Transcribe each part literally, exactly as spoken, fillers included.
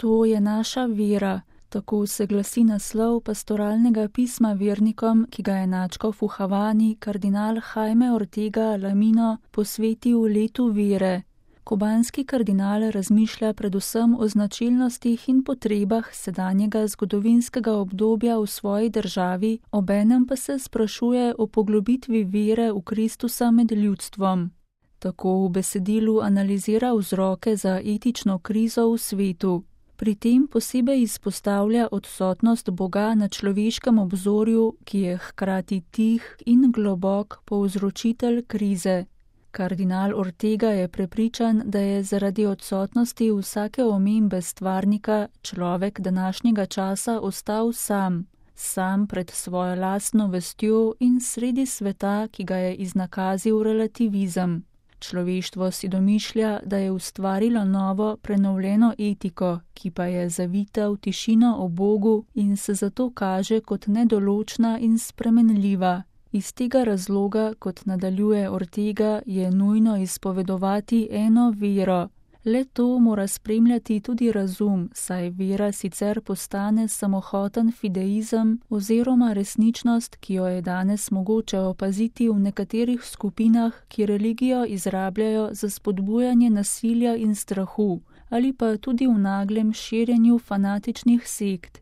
To je naša vera, tako se glasi naslov pastoralnega pisma vernikom, ki ga je nadškof v Havani kardinal Jaime Ortega Lamino posvetil letu vere. Kubanski kardinal razmišlja predvsem o značilnostih in potrebah sedanjega zgodovinskega obdobja v svoji državi, obenem pa se sprašuje o poglobitvi vere v Kristusa med ljudstvom. Tako v besedilu analizira vzroke za etično krizo v svetu. Pri tem posebej izpostavlja odsotnost Boga na človeškem obzorju, ki je hkrati tih in globok povzročitelj krize. Kardinal Ortega je prepričan, da je zaradi odsotnosti vsake omembe stvarnika človek današnjega časa ostal sam, sam pred svojo lastno vestjo in sredi sveta, ki ga je iznakazil relativizem. Človeštvo si domišlja, da je ustvarilo novo, prenovljeno etiko, ki pa je zavita v tišino o Bogu in se zato kaže kot nedoločna in spremenljiva. Iz tega razloga, kot nadaljuje Ortega, je nujno izpovedovati eno vero. Le to mora spremljati tudi razum, saj vera sicer postane samohoten fideizem oziroma resničnost, ki jo je danes mogoče opaziti v nekaterih skupinah, ki religijo izrabljajo za spodbujanje nasilja in strahu, ali pa tudi v naglem širjenju fanatičnih sekt.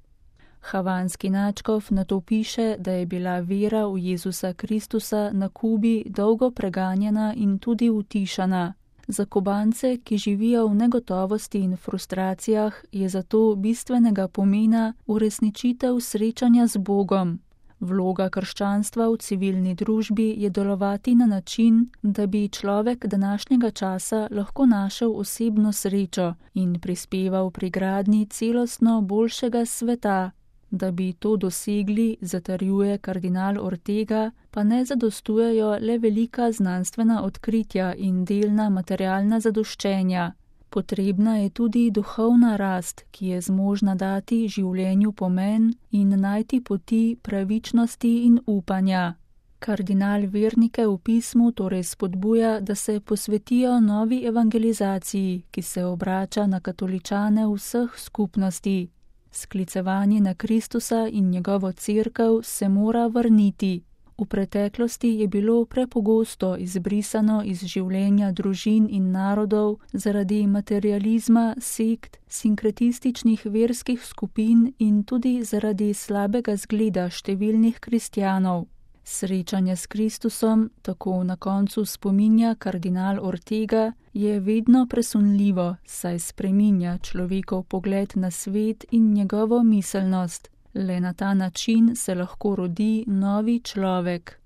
Havanski nadškof nato piše, da je bila vera v Jezusa Kristusa na Kubi dolgo preganjena in tudi utišana. Za Kubance, ki živijo v negotovosti in frustracijah, je zato bistvenega pomena uresničitev srečanja z Bogom. Vloga krščanstva v civilni družbi je delovati na način, da bi človek današnjega časa lahko našel osebno srečo in prispeval pri gradnji celostno boljšega sveta. Da bi to dosegli, zatrjuje kardinal Ortega, pa ne zadostujejo le velika znanstvena odkritja in delna materialna zadoščenja. Potrebna je tudi duhovna rast, ki je zmožna dati življenju pomen in najti poti pravičnosti in upanja. Kardinal vernike v pismu torej spodbuja, da se posvetijo novi evangelizaciji, ki se obrača na katoličane vseh skupnosti. Sklicevanje na Kristusa in njegovo cerkev se mora vrniti. V preteklosti je bilo prepogosto izbrisano iz življenja družin in narodov zaradi materializma, sekt, sinkretističnih verskih skupin in tudi zaradi slabega zgleda številnih kristjanov. Srečanje s Kristusom, tako na koncu spominja kardinal Ortega, je vedno presunljivo, saj spreminja človekov pogled na svet in njegovo miselnost. Le na ta način se lahko rodi novi človek.